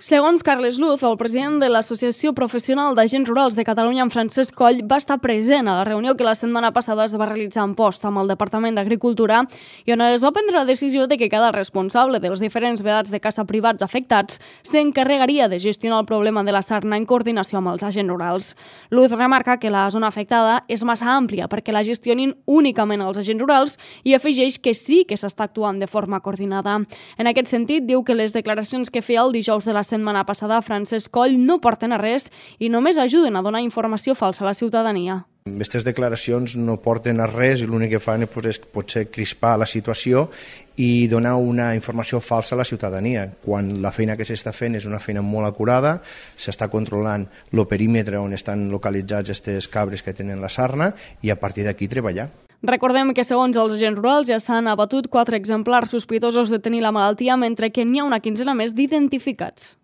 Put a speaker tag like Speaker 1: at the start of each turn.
Speaker 1: Segons Carles Luz, el president de l'Associació Professional d'Agents Rurals de Catalunya, en Francesc Coll, va estar present a la reunió que la setmana passada es va realitzar en Post amb el Departament d'Agricultura i on es va prendre la decisió de que cada responsable dels diferents vedats de caça privats afectats s'encarregaria de gestionar el problema de la sarna en coordinació amb els agents rurals. Luz remarca que la zona afectada és massa àmplia perquè la gestionin únicament els agents rurals i afegeix que sí que s'està actuant de forma coordinada. En aquest sentit, diu que les declaracions que feia el dijous de la setmana passada Francesc Coll no porten a res i només ajuden a donar informació falsa a la ciutadania.
Speaker 2: Aquestes declaracions no porten a res i l'únic que fan és potser crispar la situació i donar una informació falsa a la ciutadania, quan la feina que s'està fent és una feina molt acurada, s'està controlant el perímetre on estan localitzats aquestes cabres que tenen la sarna i a partir d'aquí treballar.
Speaker 1: Recordem que segons els agents rurals ja s'han abatut 4 exemplars sospitosos de tenir la malaltia, mentre que n'hi ha una quinzena més d'identificats.